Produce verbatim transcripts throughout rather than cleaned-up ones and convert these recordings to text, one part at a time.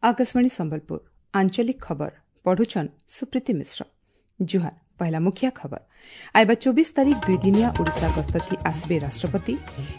Akashvani Sambalpur आंचलिक खबर पढ़ुछन सुप्रीति मिश्र। जुहार। पहला मुखिया खबर। आइबा चौबीस तारीख दुई दिनिया ओडिशा गस्त थी आसबे राष्ट्रपति।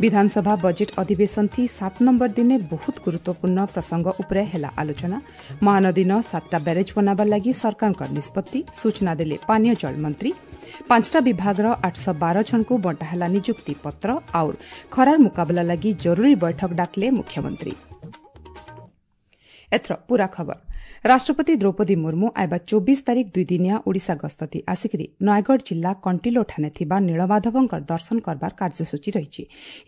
विधानसभा बजेट अधिवेशन थी सात नंबर दिने बहुत गुरुत्वपूर्ण प्रसंग उपरे हेला आलोचना। महानदी न सातटा बैरेज बनाबार लागि सरकारଙ୍କ निष्पत्ति सूचना देले पानीय जल मंत्री। पांचटा विभागर आठ सौ बार जन को बंटा ହେଲା निजुक्ति पत्र और खरार मुकाबला लागि जरूरी बैठक डाकले मुख्यमंत्री। एथर पूरा खबर। राष्ट्रपति द्रौपदी मुर्मू आइबा चौबीस तारीख दुई दिनिया ओडिशा गस्तति आसिकरी नयागढ़ जिल्ला कଣ୍ଟିଲୋ ଠାନେ ଥିବା ନୀଳମାଧବଙ୍କର ଦର୍ଶନ କରବାର କାର୍ଯ୍ୟସୂଚୀ ରହିଛି।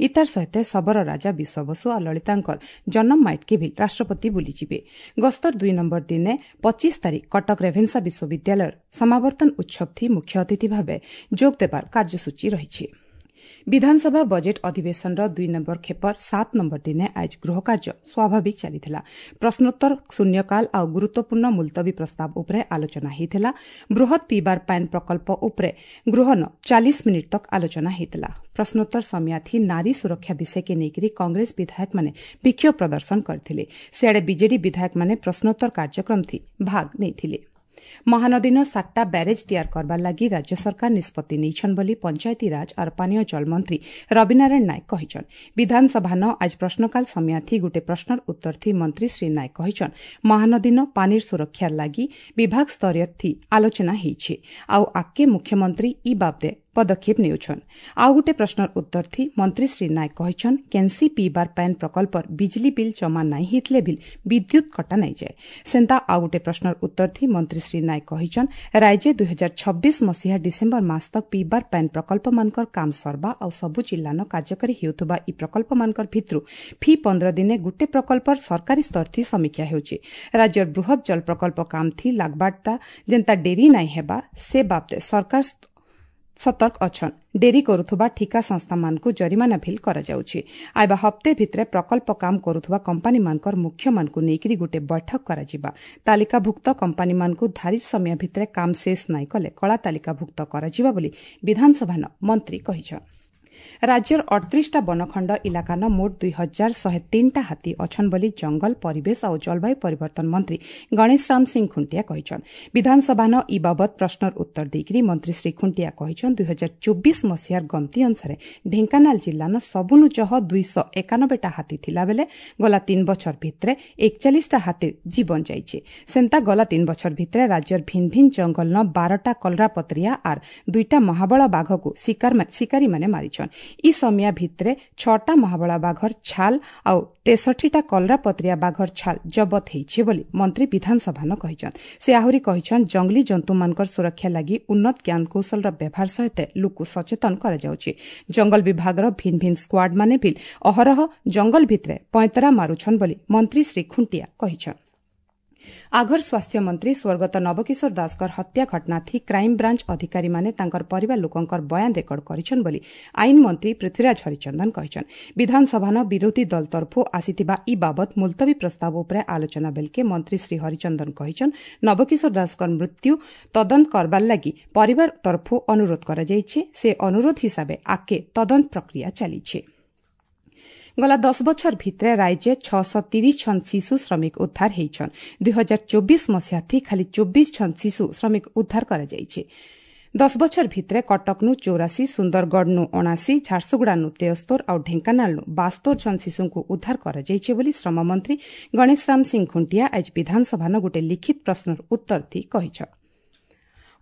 ଇତାର ସହିତ ଶବର ରାଜା ବିଶ୍ୱବସୁ ଆଉ ଲଳିତାଙ୍କର ଜନ୍ମ ମାଇଟ୍କେ ବି ରାଷ୍ଟ୍ରପତି ବୁଲିଯିବେ। ଗସ୍ତର ଦୁଇ ନମ୍ବର ଦିନେ ପଚିଶ ତାରିଖ କଟକ ରେଭେନ୍ସା ବିଶ୍ୱବିଦ୍ୟାଳୟର ସମାବର୍ତ୍ତନ ଉତ୍ସବ ଥି ମୁଖ୍ୟ ଅତିଥି ଭାବେ ଯୋଗ ଦେବାର କାର୍ଯ୍ୟସୂଚୀ ରହିଛି। ବିଧାନସଭା ବଜେଟ୍ ଅଧିବେଶନର ଦୁଇ ନମ୍ବର ଖେପର ସାତ ନମ୍ବର ଦିନେ ଆଜ ଗୃହକାର୍ଯ୍ୟ ସ୍ୱାଭାବିକ ଚାଲିଥିଲା। ପ୍ରଶ୍ନୋତ୍ତର, ଶୂନ୍ୟକାଳ ଆଉ ଗୁରୁତ୍ୱପୂର୍ଣ୍ଣ ମୁଲତବୀ ପ୍ରସ୍ତାବ ଉପରେ ଆଲୋଚନା ହୋଇଥିଲା। ବୃହତ ପିଇବାର ପାଏନ୍ ପ୍ରକଳ୍ପ ଉପରେ ଗୃହନ ଚାଳିଶ ମିନିଟ୍ ତକ୍ ଆଲୋଚନା ହୋଇଥିଲା। ପ୍ରଶ୍ନୋତ୍ତର ସମୟାଥି ନାରୀ ସୁରକ୍ଷା ବିଷୟକେ ନେଇକରି କଂଗ୍ରେସ ବିଧାୟକମାନେ ବିକ୍ଷୋଭ ପ୍ରଦର୍ଶନ କରିଥିଲେ। ସିଆଡ଼େ ବିଜେଡି ବିଧାୟକମାନେ ପ୍ରଶ୍ନୋତ୍ତର କାର୍ଯ୍ୟକ୍ରମ ଥି ଭାଗ ନେଇଥିଲେ। ମହାନଦୀନ ସାତଟା ବ୍ୟାରେଜ୍ ତିଆର କରବାର ଲାଗି ରାଜ୍ୟ ସରକାର ନିଷ୍ପତ୍ତି ନେଇଛନ୍ ବୋଲି ପଞ୍ଚାୟତିରାଜ ଆର୍ ପାନୀୟ ଜଳ ମନ୍ତ୍ରୀ ରବିନାରାୟଣ ନାୟକ କହିଛନ୍। ବିଧାନସଭାନ ଆଜ ପ୍ରଶ୍ନକାଳ ସମୟାଥି ଗୁଟେ ପ୍ରଶ୍ନର ଉତ୍ତର ଥି ମନ୍ତ୍ରୀ ଶ୍ରୀ ନାୟକ କହିଛନ୍, ମହାନଦୀନ ପାନିର ସୁରକ୍ଷାର ଲାଗି ବିଭାଗ ସ୍ତରୀୟ ଥି ଆଲୋଚନା ହେଇଛି ଆଉ ଆଗକେ ମୁଖ୍ୟମନ୍ତ୍ରୀ ଇ ବାବଦେ ପଦକ୍ଷେପ ନେଉଛନ୍। ଆଉ ଗୁଟେ ପ୍ରଶ୍ନର ଉତ୍ତର ଥି ମନ୍ତ୍ରୀ ଶ୍ରୀ ନାୟକ କହିଛନ୍, କେନ୍ସି ପିଇବାର ପାଏନ୍ ପ୍ରକଳ୍ପର ବିଜଲି ବିଲ୍ ଜମା ନାଇଁ ହେଇଥିଲେ ବିଲ୍ ବିଦ୍ୟୁତ୍ କଟା ନାଇଁ ଯାଏ। ସେନ୍ତା ଆଉ ଗୁଟେ ପ୍ରଶ୍ନର ଉତ୍ତର ଥି ମନ୍ତ୍ରୀ ଶ୍ରୀ ନାୟକ କହିଛନ୍, ରାଜ୍ୟ ଦୁଇ ହଜାର ଛବିଶ ମସିହା ଡିସେମ୍ବର ମାସ ତକ୍ ପିଇବାର ପାଏନ୍ ପ୍ରକଳ୍ପମାନଙ୍କର କାମ ସରବା ଆଉ ସବୁ ଜିଲ୍ଲାନ କାର୍ଯ୍ୟକାରୀ ହେଉଥିବା ଇ ପ୍ରକଳ୍ପମାନଙ୍କର ଭିତରୁ ଫି ପନ୍ଦର ଦିନେ ଗୁଟେ ପ୍ରକଳ୍ପର ସରକାରୀ ସ୍ତର ଥି ସମୀକ୍ଷା ହେଉଛି। ରାଜ୍ୟର ବୃହତ୍ ଜଳ ପ୍ରକଳ୍ପ କାମ ଥି ଲାଗବାରଟା ଯେନ୍ତା ଡେରି ନାଇଁ ହେବା ସେ ବାବଦେ ସରକାର ସତର୍କ ଅଛନ୍। ଡେରି କରୁଥିବା ଠିକା ସଂସ୍ଥାମାନଙ୍କୁ ଜରିମାନା ଭିଲ୍ କରାଯାଉଛି। ଆଇବା ହପ୍ତେ ଭିତରେ ପ୍ରକଳ୍ପ କାମ କରୁଥିବା କମ୍ପାନୀମାନଙ୍କର ମୁଖ୍ୟମାନଙ୍କୁ ନେଇକରି ଗୋଟିଏ ବୈଠକ କରାଯିବା। ତାଲିକାଭୁକ୍ତ କମ୍ପାନୀମାନଙ୍କୁ ଧାର୍ଯ୍ୟ ସମୟ ଭିତରେ କାମ ଶେଷ ନାଇଁ କଲେ କଳା ତାଲିକାଭୁକ୍ତ କରାଯିବା ବୋଲି ବିଧାନସଭାନ ମନ୍ତ୍ରୀ କହିଛନ୍। ରାଜ୍ୟର ଅଠତିରିଶଟା ବନଖଣ୍ଡ ଇଲାକାନ ମୋଟ ଦୁଇ ହଜାର ଶହେ ତିନିଟା ହାତୀ ଅଛନ୍ ବୋଲି ଜଙ୍ଗଲ ପରିବେଶ ଆଉ ଜଳବାୟୁ ପରିବର୍ତ୍ତନ ମନ୍ତ୍ରୀ ଗଣେଶ ରାମ ସିଂ ଖୁଣ୍ଟିଆ କହିଛନ୍। ବିଧାନସଭାନ ଇ ବାବଦ ପ୍ରଶ୍ନର ଉତ୍ତର ଦେଇକରି ମନ୍ତ୍ରୀ ଶ୍ରୀ ଖୁଣ୍ଟିଆ କହିଛନ୍, ଦୁଇ ହଜାର ଚବିଶ ମସିହାର ଗଣତି ଅନୁସାରେ ଢେଙ୍କାନାଳ ଜିଲ୍ଲାନ ସବୁନୁ ଜହ ଦୁଇଶହ ଏକାନବେଟା ହାତୀ ଥିଲାବେଲେ ଗଲା ତିନି ବଛର ଭିତରେ ଏକଚାଳିଶଟା ହାତୀର ଜୀବନ ଯାଇଛି। ସେନ୍ତା ଗଲା ତିନି ବଛର ଭିତରେ ରାଜ୍ୟର ଭିନ୍ ଭିନ୍ ଜଙ୍ଗଲନ ବାରଟା କଲରାପତ୍ରିଆ ଆର୍ ଦୁଇଟା ମହାବଳ ବାଘକୁ ଶିକାରୀମାନେ ମାରିଛନ୍। ଇ ସମିଆ ଭିତରେ ଛଅଟା ମହାବଳା ବାଘର ଛାଲ ଆଉ ତେଷଠିଟା କଲରାପତ୍ରିଆ ବାଘର ଛାଲ ଜବତ ହେଇଛି ବୋଲି ମନ୍ତ୍ରୀ ବିଧାନସଭାନ କହିଛନ୍। ସେ ଆହୁରି କହିଛନ୍, ଜଙ୍ଗଲୀ ଜନ୍ତୁମାନଙ୍କର ସୁରକ୍ଷା ଲାଗି ଉନ୍ନତ ଜ୍ଞାନକୌଶଳର ବ୍ୟବହାର ସହିତ ଲୋକ ସଚେତନ କରାଯାଉଛି। ଜଙ୍ଗଲ ବିଭାଗର ଭିନ୍ ଭିନ୍ ସ୍କ୍ୱାଡ୍ମାନେ ବି ଅହରହ ଜଙ୍ଗଲ ଭିତରେ ପଇଁତରା ମାରୁଛନ୍ ବୋଲି ମନ୍ତ୍ରୀ ଶ୍ରୀ ଖୁଣ୍ଟିଆ କହିଛନ୍। ଆଘର ସ୍ୱାସ୍ଥ୍ୟମନ୍ତ୍ରୀ ସ୍ୱର୍ଗତ ନବକିଶୋର ଦାସଙ୍କର ହତ୍ୟା ଘଟଣା ଥି କ୍ରାଇମବ୍ରାଞ୍ଚ ଅଧିକାରୀମାନେ ତାଙ୍କର ପରିବାର ଲୋକଙ୍କର ବୟାନ ରେକର୍ଡ କରିଛନ୍ ବୋଲି ଆଇନ ମନ୍ତ୍ରୀ ପୃଥ୍ୱୀରାଜ ହରିଚନ୍ଦନ କହିଛନ୍। ବିଧାନସଭାନ ବିରୋଧୀ ଦଳ ତରଫରୁ ଆସିଥିବା ଇ ବାବଦ ମୁଲତବୀ ପ୍ରସ୍ତାବ ଉପରେ ଆଲୋଚନା ବେଲକେ ମନ୍ତ୍ରୀ ଶ୍ରୀ ହରିଚନ୍ଦନ କହିଛନ୍, ନବକିଶୋର ଦାସଙ୍କର ମୃତ୍ୟୁ ତଦନ୍ତ କରବାର ଲାଗି ପରିବାର ତରଫରୁ ଅନୁରୋଧ କରାଯାଇଛି। ସେ ଅନୁରୋଧ ହିସାବେ ଆଗକେ ତଦନ୍ତ ପ୍ରକ୍ରିୟା ଚାଲିଛି। ଗଲା ଦଶ ବଛର ଭିତରେ ରାଜ୍ୟ ଛଅଶହ ତିରିଶ ଜଣ ଶିଶୁ ଶ୍ରମିକ ଉଦ୍ଧାର ହେଇଛନ୍। ଦୁଇ ହଜାର ଚବିଶ ମସିହାଥି ଖାଲି ଚବିଶ ଜଣ ଶିଶୁ ଶ୍ରମିକ ଉଦ୍ଧାର କରାଯାଇଛି। ଦଶ ବଛର ଭିତରେ କଟକନୁ ଚଉରାଶୀ, ସୁନ୍ଦରଗଡ଼ନୁ ଅଣାଅଶୀ, ଝାରସୁଗୁଡ଼ାନୁ ତେୟସ୍ତୋର ଆଉ ଢେଙ୍କାନାଳନୁ ବାସ୍ତୋର ଜଣ ଶିଶୁଙ୍କୁ ଉଦ୍ଧାର କରାଯାଇଛି ବୋଲି ଶ୍ରମମନ୍ତ୍ରୀ ଗଣେଶ ରାମ ସିଂ ଖୁଣ୍ଟିଆ ଆଜି ବିଧାନସଭାନ ଗୋଟିଏ ଲିଖିତ ପ୍ରଶ୍ନର ଉତ୍ତର ଥି କହିଛନ୍।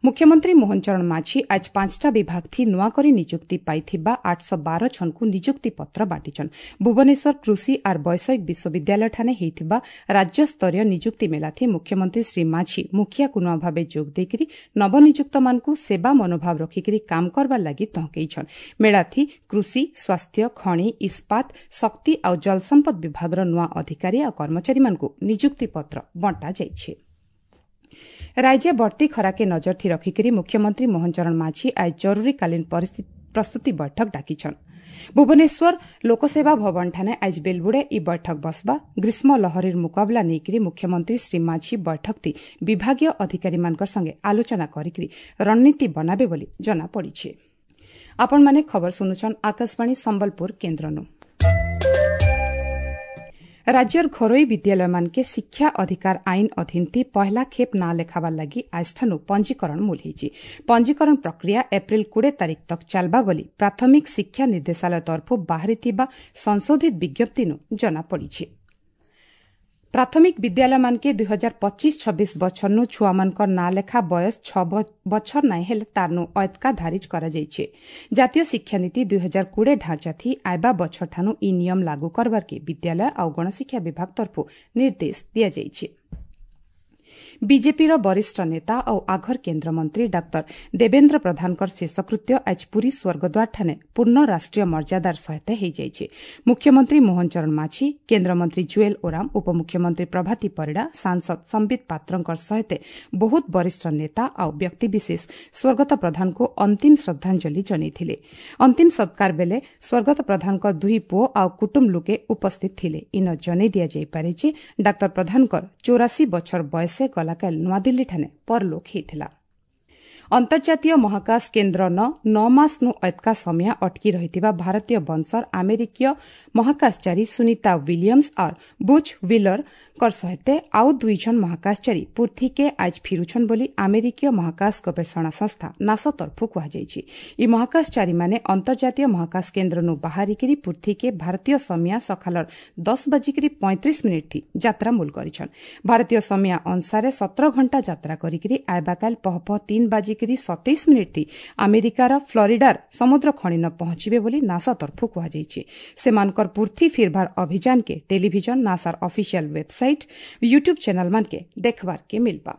ମୁଖ୍ୟମନ୍ତ୍ରୀ ମୋହନ ଚରଣ ମାଝୀ ଆଜ ପାଞ୍ଚଟା ବିଭାଗ ଥି ନୂଆକରି ନିଯୁକ୍ତି ପାଇଥିବା ଆଠଶହ ବାର ଜଣଙ୍କୁ ନିଯୁକ୍ତି ପତ୍ର ବାଣ୍ଟିଛନ୍। ଭୁବନେଶ୍ୱର କୃଷି ଆର୍ ବୈଷୟିକ ବିଶ୍ୱବିଦ୍ୟାଳୟଠାନେ ହେଇଥିବା ରାଜ୍ୟସ୍ତରୀୟ ନିଯୁକ୍ତି ମେଳାଥି ମୁଖ୍ୟମନ୍ତ୍ରୀ ଶ୍ରୀ ମାଝୀ ମୁଖିଆ କୁନୁଆ ଭାବେ ଯୋଗ ଦେଇକରି ନବନିଯୁକ୍ତମାନଙ୍କୁ ସେବା ମନୋଭାବ ରଖିକରି କାମ କରବାର ଲାଗି ତହକେଇଛନ୍। ମେଳାଥି କୃଷି, ସ୍ୱାସ୍ଥ୍ୟ, ଖଣି, ଇସ୍ପାତ, ଶକ୍ତି ଆଉ ଜଳସମ୍ପଦ ବିଭାଗର ନୂଆ ଅଧିକାରୀ ଆଉ କର୍ମଚାରୀମାନଙ୍କୁ ନିଯୁକ୍ତି ପତ୍ର ବଣ୍ଟାଯାଇଛି। ରାଜ୍ୟ ବର୍ତ୍ତି ଖରାକେ ନଜର ଥି ରଖିକରି ମୁଖ୍ୟମନ୍ତ୍ରୀ ମୋହନ ଚରଣ ମାଝୀ ଆଜ ଜରୁରୀକାଳୀନ ପ୍ରସ୍ତୁତି ବୈଠକ ଡାକିଛନ୍। ଭୁବନେଶ୍ୱର ଲୋକସେବା ଭବନଠାନେ ଆଜି ବେଲବୁଡ଼େ ଇ ବୈଠକ ବସବା। ଗ୍ରୀଷ୍ମ ଲହରୀର ମୁକାବିଲା ନେଇକରି ମୁଖ୍ୟମନ୍ତ୍ରୀ ଶ୍ରୀ ମାଝୀ ବୈଠକଟି ବିଭାଗୀୟ ଅଧିକାରୀମାନଙ୍କ ସଙ୍ଗେ ଆଲୋଚନା କରିକି ରଣନୀତି ବନାବେ ବୋଲି ଜଣାପଡ଼ିଛି। ଆପଣମାନେ ଖବର ଶୁଣୁଛନ୍ ଆକାଶବାଣୀ ସମ୍ବଲପୁର କେନ୍ଦ୍ରନୁ। ରାଜ୍ୟର ଘରୋଇ ବିଦ୍ୟାଳୟମାନକେ ଶିକ୍ଷା ଅଧିକାର ଆଇନ ଅଧୀନଥି ପହଲା ଖେପ୍ ନାଁ ଲେଖାବାର ଲାଗି ଆଜଠାନୁ ପଞ୍ଜୀକରଣ ମୂଲ ହେଇଛି। ପଞ୍ଜୀକରଣ ପ୍ରକ୍ରିୟା ଏପ୍ରିଲ କୋଡ଼ିଏ ତାରିଖ ତକ୍ ଚାଲବା ବୋଲି ପ୍ରାଥମିକ ଶିକ୍ଷା ନିର୍ଦ୍ଦେଶାଳୟ ତରଫରୁ ବାହାରିଥିବା ସଂଶୋଧିତ ବିଜ୍ଞପ୍ତିନୁ ଜଣାପଡ଼ିଛି। ପ୍ରାଥମିକ ବିଦ୍ୟାଳୟମାନକେ ଦୁଇ ହଜାର ପଚିଶ ଛବିଶ ବଛରନୁ ଛୁଆମାନଙ୍କର ନାଁ ଲେଖା ବୟସ ଛଅ ବଛର ନାଇଁ ହେଲେ ତାରନୁ ଅୟତକା ଧାରିଜ କରାଯାଇଛି। ଜାତୀୟ ଶିକ୍ଷାନୀତି ଦୁଇ ହଜାର କୋଡ଼ିଏ ଢାଞ୍ଚାଥି ଆଇବା ବଛରଠାନୁ ଇ ନିୟମ ଲାଗୁ କରବାର୍କେ ବିଦ୍ୟାଳୟ ଆଉ ଗଣଶିକ୍ଷା ବିଭାଗ ତରଫରୁ ନିର୍ଦ୍ଦେଶ ଦିଆଯାଇଛି। ବିଜେପିର ବରିଷ୍ଠ ନେତା ଆଉ ଆଘର କେନ୍ଦ୍ରମନ୍ତ୍ରୀ ଡାକ୍ତର ଦେବେନ୍ଦ୍ର ପ୍ରଧାନଙ୍କର ଶେଷକୃତ୍ୟ ଆଜି ପୁରୀ ସ୍ୱର୍ଗଦ୍ୱାରଠାରେ ପୂର୍ଣ୍ଣ ରାଷ୍ଟ୍ରୀୟ ମର୍ଯ୍ୟାଦାର ସହିତ ହୋଇଯାଇଛି। ମୁଖ୍ୟମନ୍ତ୍ରୀ ମୋହନ ଚରଣ ମାଝୀ, କେନ୍ଦ୍ରମନ୍ତ୍ରୀ ଜୁଏଲ ଓରାମ, ଉପମୁଖ୍ୟମନ୍ତ୍ରୀ ପ୍ରଭାତୀ ପରିଡ଼ା, ସାଂସଦ ସମ୍ବିତ ପାତ୍ରଙ୍କ ସହିତ ବହୁତ ବରିଷ୍ଠ ନେତା ଆଉ ବ୍ୟକ୍ତିବିଶେଷ ସ୍ୱର୍ଗତ ପ୍ରଧାନଙ୍କୁ ଅନ୍ତିମ ଶ୍ରଦ୍ଧାଞ୍ଜଳି ଜଣାଇଥିଲେ। ଅନ୍ତିମ ସତ୍କାର ବେଳେ ସ୍ୱର୍ଗତ ପ୍ରଧାନଙ୍କ ଦୁଇ ପୁଅ ଆଉ କୁଟୁମ୍ବ ଲୋକେ ଉପସ୍ଥିତ ଥିଲେ। ଇନ ଜଣାଇ ଦିଆଯାଇପାରେ ଯେ ଡାକ୍ତର ପ୍ରଧାନଙ୍କର ଚଉରାଶୀ ବଛର ବୟସେ ଗଲାକାଲି ନୂଆଦିଲ୍ଲୀଠାରେ ପରଲୋକ ହୋଇଥିଲା। ଅନ୍ତର୍ଜାତୀୟ ମହାକାଶ କେନ୍ଦ୍ର ନ ନଅ ମାସନୁ ଅତକା ସମୟ ଅଟକି ରହିଥିବା ଭାରତୀୟ ବଂଶର ଆମେରିକୀୟ ମହାକାଶଚାରୀ ସୁନିତା ୱିଲିୟମ୍ସ ଆର୍ ବୁଚ୍ ହ୍ୱିଲରଙ୍କ ସହିତ ଆଉ ଦୁଇ ଜଣ ମହାକାଶଚାରୀ ପୃଥ୍ୱୀକେ ଆଜ ଫିରୁଛନ୍ ବୋଲି ଆମେରିକୀୟ ମହାକାଶ ଗବେଷଣା ସଂସ୍ଥା ନାସା ତରଫରୁ କୁହାଯାଇଛି। ଇ ମହାକାଶଚାରୀମାନେ ଅନ୍ତର୍ଜାତୀୟ ମହାକାଶ କେନ୍ଦ୍ରନୁ ବାହାରିକିରି ପୃଥ୍ୱୀକେ ଭାରତୀୟ ସମୟ ସକାଳର ଦଶ ବାଜିକିରି ପଇଁତିରିଶ ମିନିଟ୍ ଥି ଯାତ୍ରା ମୂଲ କରିଛନ୍। ଭାରତୀୟ ସମୟ ଅନୁସାରେ ସତର ଘଣ୍ଟା ଯାତ୍ରା କରିକିରି ଆଇବାକାଲ ପହ ପହ ତିନି ବାଜି ସତେଇଶ ମିନିଟ୍ ଥି ଆମେରିକାର ଫ୍ଲୋରିଡାର ସମୁଦ୍ର ଖଣିନ ପହଞ୍ଚିବେ ବୋଲି ନାସା ତରଫରୁ କୁହାଯାଇଛି। ସେମାନଙ୍କର ପୃଥ୍ୱୀ ଫିରଭାର ଅଭିଯାନକେ ଟେଲିଭିଜନ, ନାସାର ଅଫିସିଆଲ ୱେବସାଇଟ୍, ୟୁଟ୍ୟୁବ୍ ଚ୍ୟାନେଲମାନକେ ଦେଖବାର୍କେ ମିଲବା।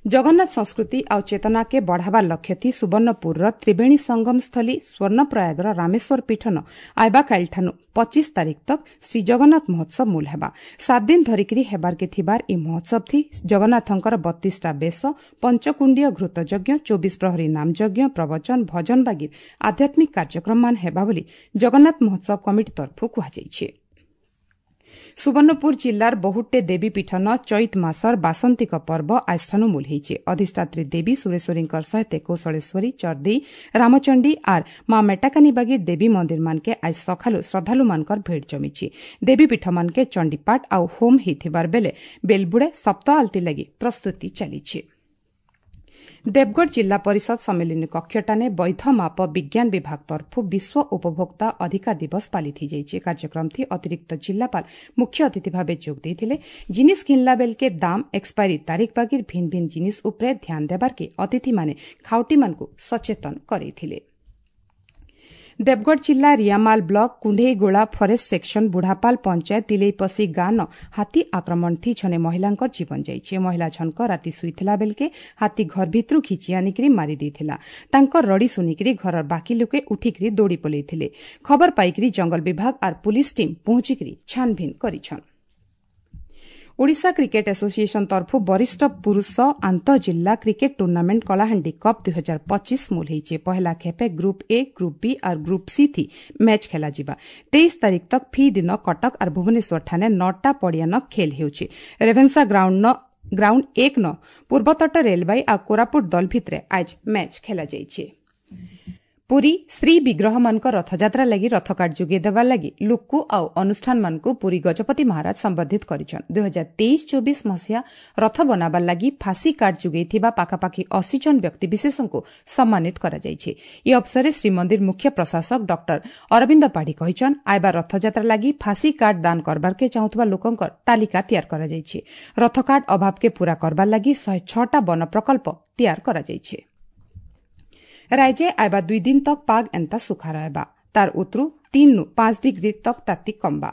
ଜଗନ୍ନାଥ ସଂସ୍କୃତି ଆଉ ଚେତନାକେ ବଢ଼ାବାର ଲକ୍ଷ୍ୟଥି ସୁବର୍ଣ୍ଣପୁରର ତ୍ରିବେଣୀ ସଙ୍ଗମ ସ୍ଥଳୀ ସ୍ୱର୍ଣ୍ଣପ୍ରୟାଗର ରାମେଶ୍ୱର ପୀଠନ ଆଇବାକାଇଲଠାନୁ ପଚିଶ ତାରିଖ ତକ୍ ଶ୍ରୀ ଜଗନ୍ନାଥ ମହୋତ୍ସବ ମୂଲ ହେବା। ସାତ ଦିନ ଧରିକିରି ହେବାର୍କେ ଥିବାର ଇ ମହୋତ୍ସବ ଥି ଜଗନ୍ନାଥଙ୍କର ବତିଶଟା ବେଶ, ପଞ୍ଚକୁଣ୍ଡୀୟ ଘୃତଯଜ୍ଞ, ଚବିଶ ପ୍ରହରୀ ନାମଯଜ୍ଞ, ପ୍ରବଚନ, ଭଜନ ବାଗିର ଆଧ୍ୟାତ୍ମିକ କାର୍ଯ୍ୟକ୍ରମମାନ ହେବା ବୋଲି ଜଗନ୍ନାଥ ମହୋତ୍ସବ କମିଟି ତରଫରୁ କୁହାଯାଇଛି। ସୁବର୍ଣ୍ଣପୁର ଜିଲ୍ଲାର ବହୁଟେ ଦେବୀ ପୀଠନ ଚୈତ ମାସର ବାସନ୍ତିକ ପର୍ବ ଆଜଠାନୁ ମୂଲ ହେଇଛି। ଅଧିଷ୍ଠାତ୍ରୀ ଦେବୀ ସୁରେଶ୍ୱରୀଙ୍କର ସହିତ କୌଶଳେଶ୍ୱରୀ, ଚର୍ଦେଇ, ରାମଚଣ୍ଡୀ ଆର୍ ମା ମେଟାକାନୀ ବାଗି ଦେବୀ ମନ୍ଦିରମାନକେ ଆଜ ସକାଳୁ ଶ୍ରଦ୍ଧାଳୁମାନଙ୍କର ଭିଡ଼ ଜମିଛି। ଦେବୀ ପୀଠମାନକେ ଚଣ୍ଡୀପାଠ ଆଉ ହୋମ ହେଇଥିବାର ବେଲେ ବେଲବୁଡ଼େ ସପ୍ତ ଆଳତୀ ଲାଗି ପ୍ରସ୍ତୁତି ଚାଲିଛି। ଦେବଗଡ଼ ଜିଲ୍ଲା ପରିଷଦ ସମ୍ମିଳନୀ କକ୍ଷଟାନେ ବୈଧ ମାପ ବିଜ୍ଞାନ ବିଭାଗ ତରଫରୁ ବିଶ୍ୱ ଉପଭୋକ୍ତା ଅଧିକାର ଦିବସ ପାଳିତ ହୋଇଯାଇଛି। କାର୍ଯ୍ୟକ୍ରମଥି ଅତିରିକ୍ତ ଜିଲ୍ଲାପାଳ ମୁଖ୍ୟ ଅତିଥି ଭାବେ ଯୋଗ ଦେଇଥିଲେ। ଜିନିଷ ଘିନଲା ବେଲକେ ଦାମ, ଏକ୍ସପାୟରି ତାରିଖ ବାଗିର ଭିନ୍ନ ଭିନ୍ନ ଜିନିଷ ଉପରେ ଧ୍ୟାନ ଦେବାର୍କେ ଅତିଥିମାନେ ଖାଉଟିମାନଙ୍କୁ ସଚେତନ କରାଇଥିଲେ। ଦେବଗଡ଼ ଜିଲ୍ଲା Riamal block Kundheigola forest section Budhapal panchayat Tileipasi ଗାଁନ ହାତୀ ଆକ୍ରମଣଥି ଜଣେ ମହିଳାଙ୍କର ଜୀବନ ଯାଇଛି। ମହିଳା ଜଣକ ରାତି ଶୋଇଥିଲା ବେଲକେ ହାତୀ ଘର ଭିତରୁ ଘିଚି ଆଣିକିରି ମାରି ଦେଇଥିଲା। ତାଙ୍କର ରଡ଼ି ଶୁଣିକିରି ଘରର ବାକି ଲୋକେ ଉଠିକିରି ଦୌଡ଼ି ପଲେଇଥିଲେ। ଖବର ପାଇକିରି ଜଙ୍ଗଲ ବିଭାଗ ଆର୍ ପୁଲିସ ଟିମ୍ ପହଞ୍ଚିକିରି ଛାନଭିନ କରିଛନ୍। ଓଡ଼ିଶା କ୍ରିକେଟ ଆସୋସିଏସନ ତରଫରୁ ବରିଷ୍ଠ ପୁରୁଷ ଆନ୍ତଃଜିଲ୍ଲା କ୍ରିକେଟ ଟୁର୍ଣ୍ଣାମେଣ୍ଟ କଳାହାଣ୍ଡି କପ୍ ଦୁଇ ହଜାର ପଚିଶ ମୂଲ ହେଇଛି। ପହଲା ଖେପେ ଗ୍ରୁପ୍ ଏ, ଗ୍ରୁପ୍ ବି ଆର୍ ଗ୍ରୁପ୍ ସି ଥି ମ୍ୟାଚ୍ ଖେଲାଯିବା। ତେଇଶ ତାରିଖ ତକ୍ ଫି ଦିନ କଟକ ଆର୍ ଭୁବନେଶ୍ୱର ଠାନେ ନଅଟା ପଡ଼ିଆନ ଖେଲ ହେଉଛି। ରେଭେନ୍ସା ଗ୍ରାଉଣ୍ଡ ଗ୍ରାଉଣ୍ଡ ଏକ ନ ପୂର୍ବତଟ ରେଲବାଇ ଆଉ କୋରାପୁଟ ଦଳ ଭିତରେ ଆଜ ମ୍ୟାଚ୍ ଖେଲାଯାଇଛି। ପୁରୀ ଶ୍ରୀ ବିଗ୍ରହମାନଙ୍କ ରଥଯାତ୍ରା ଲାଗି ରଥକାଠ ଯୋଗାଇ ଦେବା ଲାଗି ଲୋକ ଆଉ ଅନୁଷ୍ଠାନମାନଙ୍କୁ ପୁରୀ ଗଜପତି ମହାରାଜ ସମ୍ବର୍ଦ୍ଧିତ କରିଛନ୍। ଦୁଇ ହଜାର ତେଇଶ ଚବିଶ ମସିହା ରଥ ବନାବାର ଲାଗି ଫାଶୀ କାଠ ଯୋଗାଇଥିବା ପାଖାପାଖି ଅଶୀ ଜଣ ବ୍ୟକ୍ତିବିଶେଷଙ୍କୁ ସମ୍ମାନିତ କରାଯାଇଛି। ଏହି ଅବସରରେ ଶ୍ରୀମନ୍ଦିର ମୁଖ୍ୟ ପ୍ରଶାସକ ଡକ୍ଟର ଅରବିନ୍ଦ ପାଢ଼ୀ କହିଛନ୍, ଆଇବା ରଥଯାତ୍ରା ଲାଗି ଫାଶୀ କାଠ ଦାନ କରବାର୍କେ ଚାହୁଁଥିବା ଲୋକଙ୍କର ତାଲିକା ତିଆରି କରାଯାଇଛି। ରଥକାଠ ଅଭାବକେ ପୂରା କରବାର ଲାଗି ଶହେ ଛଅଟା ବନ ପ୍ରକଳ୍ପ ତିଆରି କରାଯାଇଛି। ରାଜ୍ୟ ଆଇବା ଦୁଇ ଦିନ ତକ୍ ପାଗ ଏନ୍ତା ସୁଖା ରହିବା। ତାର ଉତରୁ ତିନ୍ ପାଞ୍ଚ ଡିଗ୍ରୀ ତକ୍ ତାତି କମ୍ବା।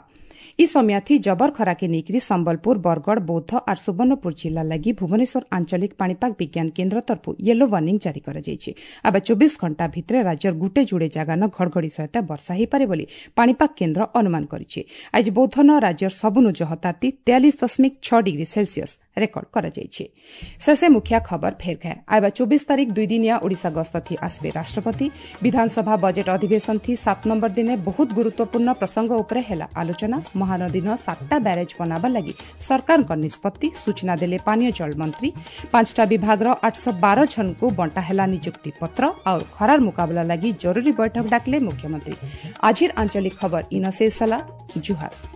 ଇ ସମିୟାଥି ଜବର ଖରାକେ ନେଇକରି ସମ୍ବଲପୁର, ବରଗଡ଼, ବୌଦ୍ଧ ଆର୍ ସୁବର୍ଣ୍ଣପୁର ଜିଲ୍ଲା ଲାଗି ଭୁବନେଶ୍ୱର ଆଞ୍ଚଳିକ ପାଣିପାଗ ବିଜ୍ଞାନ କେନ୍ଦ୍ର ତରଫରୁ ୟେଲୋ ୱାର୍ଣ୍ଣିଂ ଜାରି କରାଯାଇଛି। ଆବା ଚବିଶ ଘଣ୍ଟା ଭିତରେ ରାଜ୍ୟର ଗୁଟେ ଯୁଡ଼େ ଜାଗାନ ଘଡ଼ଘଡ଼ି ସହିତ ବର୍ଷା ହୋଇପାରେ ବୋଲି ପାଣିପାଗ କେନ୍ଦ୍ର ଅନୁମାନ କରିଛି। ଆଜି ବୌଦ୍ଧନ ରାଜ୍ୟର ସବୁନୁ ଜହ ତାତି ତେୟାଳିଶ ଦଶମିକ ଛଅ ଡିଗ୍ରୀ ସେଲସିୟସ୍ ରେକର୍ଡ କରାଯାଇଛି। ଶେଷେ ମୁଖିଆ ଖବର ଫେର ଘେ। ଆଇବା ଚବିଶ ତାରିଖ ଦୁଇ ଦିନିଆ ଓଡ଼ିଶା ଗସ୍ତ ଥି ଆସିବେ ରାଷ୍ଟ୍ରପତି। ବିଧାନସଭା ବଜେଟ୍ ଅଧିବେଶନ ଥି ସାତ ନମ୍ବର ଦିନେ ବହୁତ ଗୁରୁତ୍ୱପୂର୍ଣ୍ଣ ପ୍ରସଙ୍ଗ ଉପରେ ହେଲା ଆଲୋଚନା। ମହାନଦୀନ ସାତଟା ବ୍ୟାରେଜ୍ ବନାବା ଲାଗି ସରକାରଙ୍କ ନିଷ୍ପତ୍ତି, ସୂଚନା ଦେଲେ ପାନୀୟ ଜଳ ମନ୍ତ୍ରୀ। ପାଞ୍ଚଟା ବିଭାଗର ଆଠଶହ ବାର ଜଣଙ୍କୁ ବଣ୍ଟା ହେଲା ନିଯୁକ୍ତି ପତ୍ର। ଆଉ ଖରାର ମୁକାବିଲା ଲାଗି ଜରୁରୀ ବୈଠକ ଡାକିଲେ ମୁଖ୍ୟମନ୍ତ୍ରୀ। ଆଜିର ଆଞ୍ଚଳିକ ଖବର ଇନ ଶେଷ ହେଲା। ଜୁହାର।